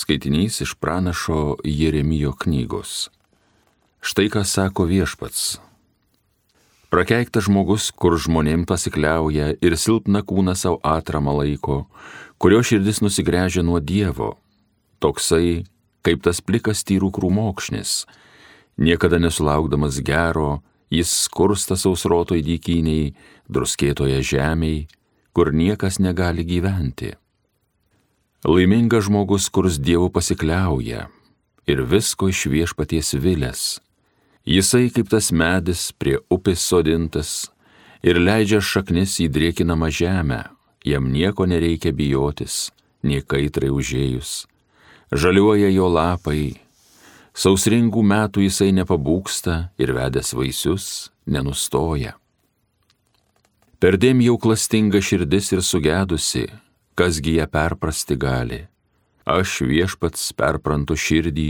Skaitinys iš pranašo Jeremijo knygos. Štai ką sako Viešpats. Prakeiktas žmogus, kur žmonėm pasikliauja ir silpną kūną savo atramą laiko, kurio širdis nusigręžia nuo Dievo. Toksai, kaip tas plikas tyrų krūmokšnis, niekada nesulaukdamas gero, jis skursta sausrotoj dykynėj, druskėtoje žemėj, kur niekas negali gyventi. Laimingas žmogus, kurs Dievu pasikliauja ir visko iš Viešpaties vilės. Jisai kaip tas medis prie upės sodintas ir leidžia šaknis į drėkinamą žemę, jam nieko nereikia bijotis, nei kaitrai užėjus. Žaliuoja jo lapai, sausringų metų jisai nepabūgsta ir vedęs vaisius nenustoja. Perdėm jau klastinga širdis ir sugedusi, kasgi ją perprasti gali. Aš Viešpats perprantu širdį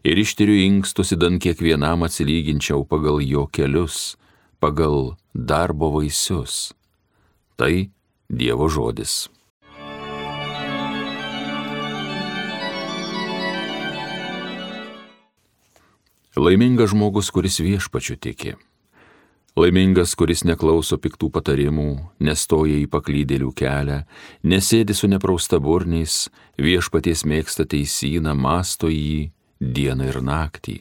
ir ištiriu inkstus, įdan kiekvienam atsilyginčiau pagal jo kelius, pagal darbo vaisius. Tai Dievo žodis. Laimingas žmogus, kuris Viešpačiu tiki. Laimingas, kuris neklauso piktų patarimų, nestoja į paklydėlių kelią, nesėdi su nepraustaburniais, Viešpaties mėgsta teisyną, mąsto jį dieną ir naktį.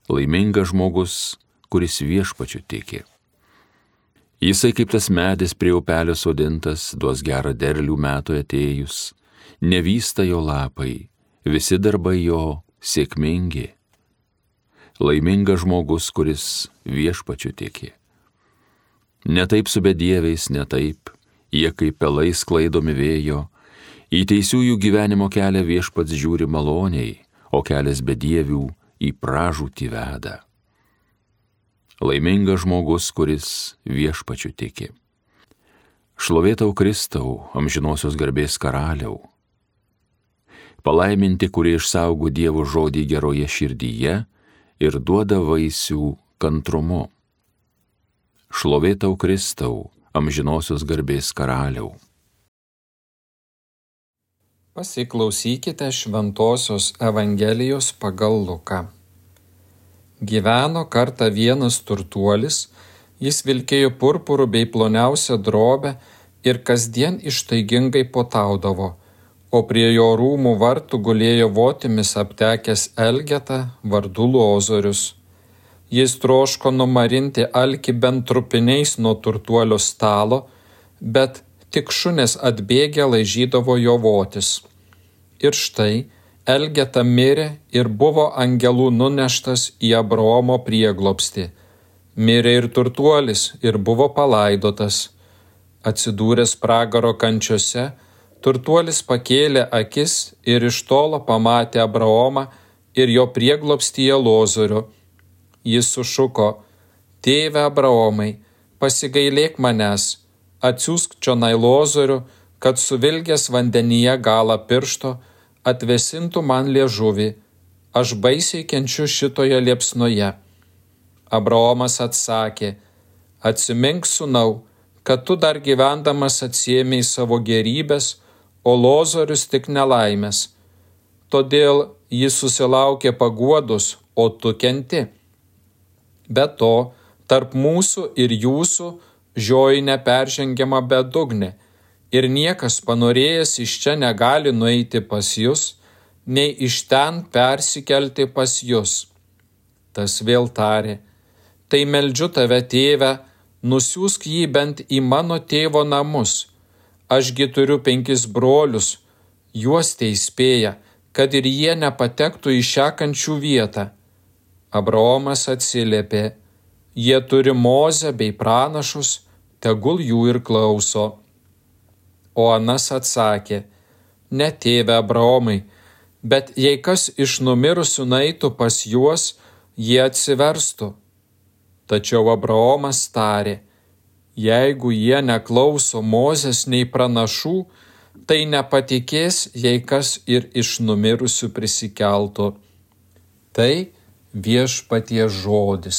Laimingas žmogus, kuris Viešpačiu tiki. Jisai kaip tas medis prie upelio sodintas, duos gerą derlių metų atėjus, nevysta jo lapai, visi darbai jo sėkmingi. Laimingas žmogus, kuris Viešpačiu tiki. Ne taip su bedieviais, ne taip, jie kaip pelai sklaidomi vėjo, į teisiųjų gyvenimo kelią Viešpats žiūri maloniai, o kelias bedievių į pražūtį veda. Laimingas žmogus, kuris Viešpačiu tiki. Šlovė tau Kristau, amžinosios garbės karaliau. Palaiminti, kurie išsaugo Dievo žodį geroje širdyje ir duoda vaisių kantrumu. Šlovė tau Kristau, amžinosios garbės karaliau. Pasiklausykite Šventosios Evangelijos pagal Luką. Gyveno kartą vienas turtuolis, jis vilkėjo purpuru bei ploniausią drobę ir kasdien ištaigingai puotaudavo, o prie jo rūmų vartų gulėjo votimis aptekęs elgeta vardu Lozorius. Jis troško numarinti alkį bent trupiniais nuo turtuolio stalo, bet tik šunės atbėgę laižydavo jo votis. Ir štai elgeta mirė ir buvo angelų nuneštas į Abraomo prieglobstį. Mirė ir turtuolis ir buvo palaidotas. Atsidūręs pragaro kančiose, turtuolis pakėlė akis ir iš tolo pamatė Abraomą ir jo prieglobstyje Lozorių. Jis sušuko: Tėve Abraomai, pasigailėk manęs, atsiųsk čionai Lozorių, kad suvilgęs vandenyje galą piršto atvesintų man liežuvį, aš baisiai kenčiu šitoje liepsnoje. Abraomas atsakė: Atsimink, sūnau, kad tu dar gyvendamas atsiėmei savo gerybės, o Lozorius tik nelaimės. Todėl jis susilaukė paguodos, o tu kenti. Be to, tarp mūsų ir jūsų žioji neperžengiama bedugnė, ir niekas panorėjęs iš čia negali nueiti pas jus, nei iš ten persikelti pas jus. Tas vėl tarė: Tai meldžiu tave, tėve, nusiųsk jį bent į mano tėvo namus. Ašgi turiu 5 brolius, juos teįspėja, kad ir jie nepatektų į šią kančių vietą. Abraomas atsiliepė: Jie turi Mozę bei pranašus, tegul jų ir klauso. O anas atsakė: Ne, tėve Abraomai, bet jei kas iš numirusių nueitų pas juos, jie atsiverstų. Tačiau Abraomas tarė: Jeigu jie neklauso Mozės nei pranašų, tai nepatikės, jei kas ir iš numirusių prisikeltų. Tai Viešpaties žodis.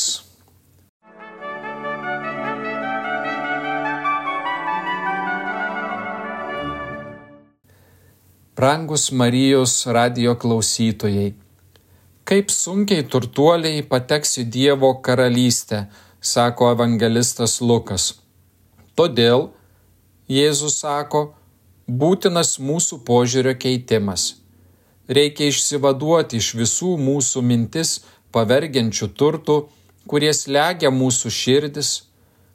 Brangus Marijos radijo klausytojai, kaip sunkiai turtuoliai pateks į Dievo karalystę, sako evangelistas Lukas. Todėl, Jėzus sako, būtinas mūsų požiūrio keitimas. Reikia išsivaduoti iš visų mūsų mintis pavergiančių turtų, kurie slegia mūsų širdis.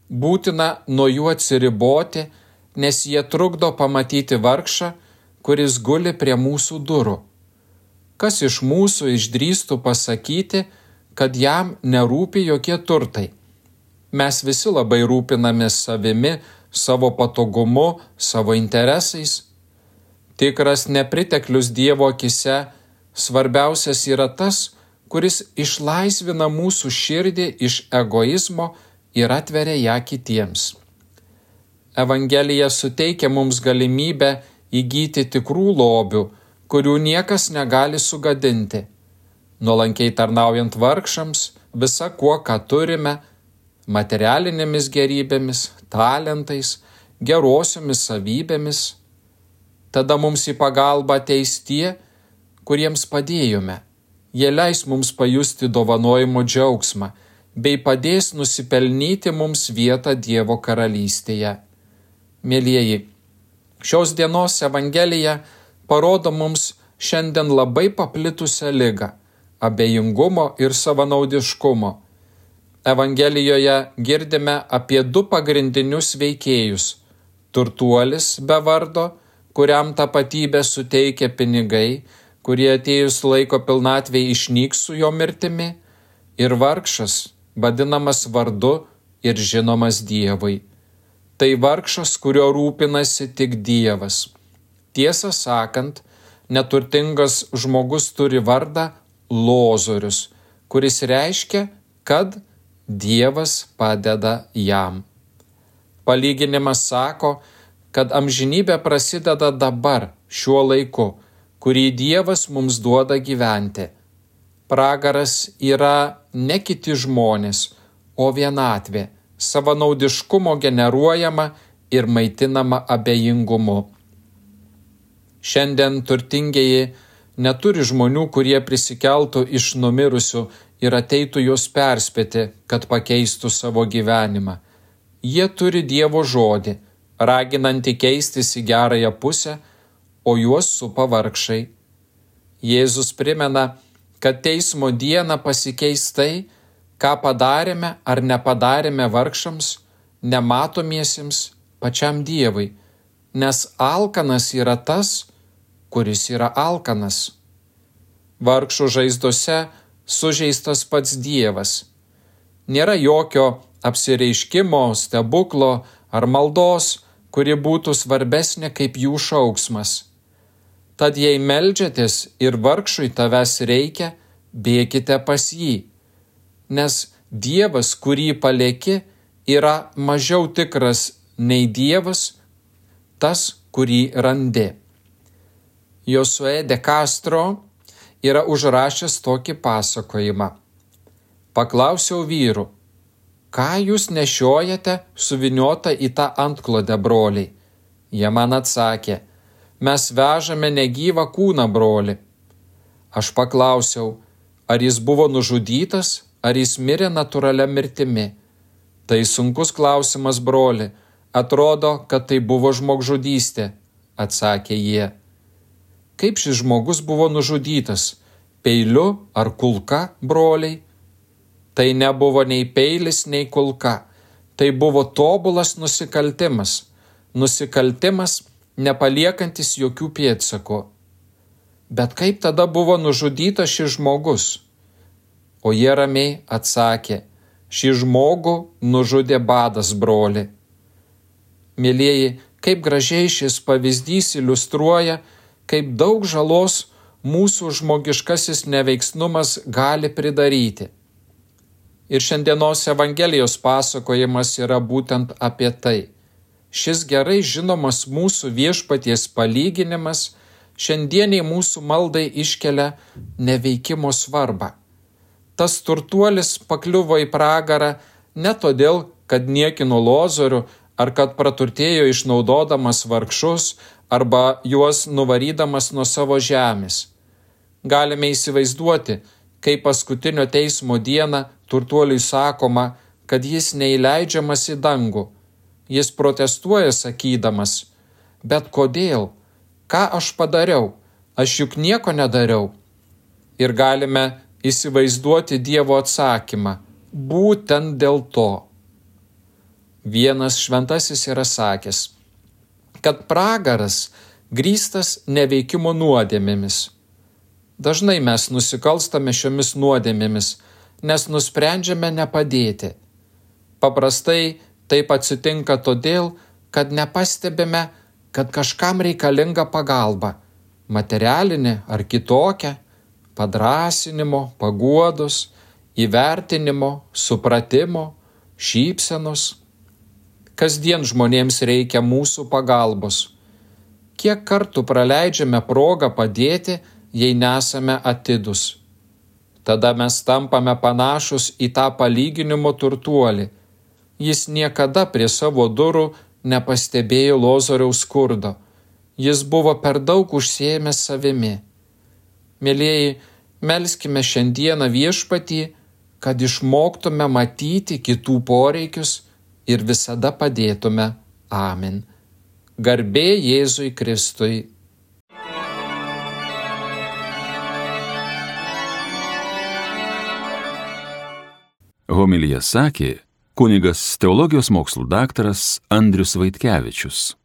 Būtina nuo jų atsiriboti, nes jie trukdo pamatyti vargšą, kuris guli prie mūsų durų. Kas iš mūsų išdrįstų pasakyti, kad jam nerūpi jokie turtai? Mes visi labai rūpinamės savimi, savo patogumu, savo interesais. Tikras nepriteklius Dievo akise svarbiausias yra tas, kuris išlaisvina mūsų širdį iš egoizmo ir atveria ją kitiems. Evangelija suteikia mums galimybę įgyti tikrų lobių, kurių niekas negali sugadinti. Nuolankiai tarnaujant vargšams, visa kuo, ką turime, materialinėmis gerybėmis, talentais, gerosiomis savybėmis. Tada mums į pagalbą ateis tie, kuriems padėjome. Jie leis mums pajusti dovanojimo džiaugsmą, bei padės nusipelnyti mums vietą Dievo karalystėje. Mielieji, šios dienos Evangelija parodo mums šiandien labai paplitusią ligą – abejingumo ir savanaudiškumo. Evangelijoje girdime apie du pagrindinius veikėjus – turtuolis be vardo, kuriam tapatybę suteikia pinigai, kurie atėjus laiko pilnatvei išnyks su jo mirtimi, ir vargšas, vadinamas vardu ir žinomas Dievui. Tai vargšas, kurio rūpinasi tik Dievas. Tiesą sakant, neturtingas žmogus turi vardą Lozorius, kuris reiškia, kad Dievas padeda jam. Palyginimas sako, kad amžinybė prasideda dabar, šiuo laiku, kurį Dievas mums duoda gyventi. Pragaras yra ne kiti žmonės, o vienatvė, savanaudiškumo generuojama ir maitinama abejingumu. Šiandien turtingieji neturi žmonių, kurie prisikeltų iš numirusių ir ateitų juos perspėti, kad pakeistų savo gyvenimą. Jie turi Dievo žodį, raginantį keistis į gerąją pusę, o juos supa vargšai. Jėzus primena, kad teismo dieną pasikeis tai, ką padarėme ar nepadarėme vargšams, nematomiesiems, pačiam Dievui, nes alkanas yra tas, kuris yra alkanas. Vargšų žaizdose sužeistas pats Dievas. Nėra jokio apsireiškimo, stebuklo ar maldos, kuri būtų svarbesnė kaip jų šauksmas. Tad jei meldžiatės ir vargšui tavęs reikia, bėkite pas jį, nes Dievas, kurį palieki, yra mažiau tikras nei Dievas, tas, kurį randi. Josué de Castro yra užrašęs tokį pasakojimą. Paklausiau vyrų, ką jūs nešiojate suviniota į tą antklodę, broliai? Jie man atsakė, mes vežame negyvą kūną, broli. Aš paklausiau, ar jis buvo nužudytas, ar jis mirė natūralia mirtimi. Tai sunkus klausimas, broli, atrodo, kad tai buvo žmogžudystė, atsakė jie. Kaip šis žmogus buvo nužudytas, peiliu ar kulka, broliai? Tai nebuvo nei peilis, nei kulka, tai buvo tobulas nusikaltimas, nepaliekantis jokių pėdsakų. Bet kaip tada buvo nužudytas šis žmogus? O jie ramiai atsakė, šį žmogų nužudė badas, broli. Mielieji, kaip gražiai šis pavyzdys iliustruoja, kaip daug žalos mūsų žmogiškasis neveiksnumas gali pridaryti. Ir šiandienos Evangelijos pasakojimas yra būtent apie tai. Šis gerai žinomas mūsų Viešpaties palyginimas šiandieniai mūsų maldai iškelia neveikimo svarbą. Tas turtuolis pakliuvo į pragarą ne todėl, kad niekino Lozorių ar kad praturtėjo išnaudodamas vargšus arba juos nuvarydamas nuo savo žemės. Galime įsivaizduoti, kai paskutinio teismo dieną turtuoliui sakoma, kad jis neįleidžiamas į dangų. Jis protestuoja sakydamas, bet kodėl? Ką aš padariau? Aš juk nieko nedariau. Ir galime įsivaizduoti Dievo atsakymą, būtent dėl to. Vienas šventasis yra sakęs, kad pragaras grįstas neveikimo nuodėmėmis. Dažnai mes nusikalstame šiomis nuodėmėmis, nes nusprendžiame nepadėti. Paprastai taip atsitinka todėl, kad nepastebime, kad kažkam reikalinga pagalba, materialinė ar kitokia, padrąsinimo, paguodos, įvertinimo, supratimo, šypsenos. Kasdien žmonėms reikia mūsų pagalbos. Kiek kartų praleidžiame progą padėti, jei nesame atidūs. Tada mes tampame panašus į tą palyginimo turtuolį. Jis niekada prie savo durų nepastebėjo Lozoriaus skurdo. Jis buvo per daug užsiėmęs savimi. Mielieji, melskime šiandieną Viešpatį, kad išmoktume matyti kitų poreikius ir visada padėtume. Amen. Garbė Jėzui Kristui. Homiliją sakė kunigas teologijos mokslų daktaras Andrius Vaitkevičius.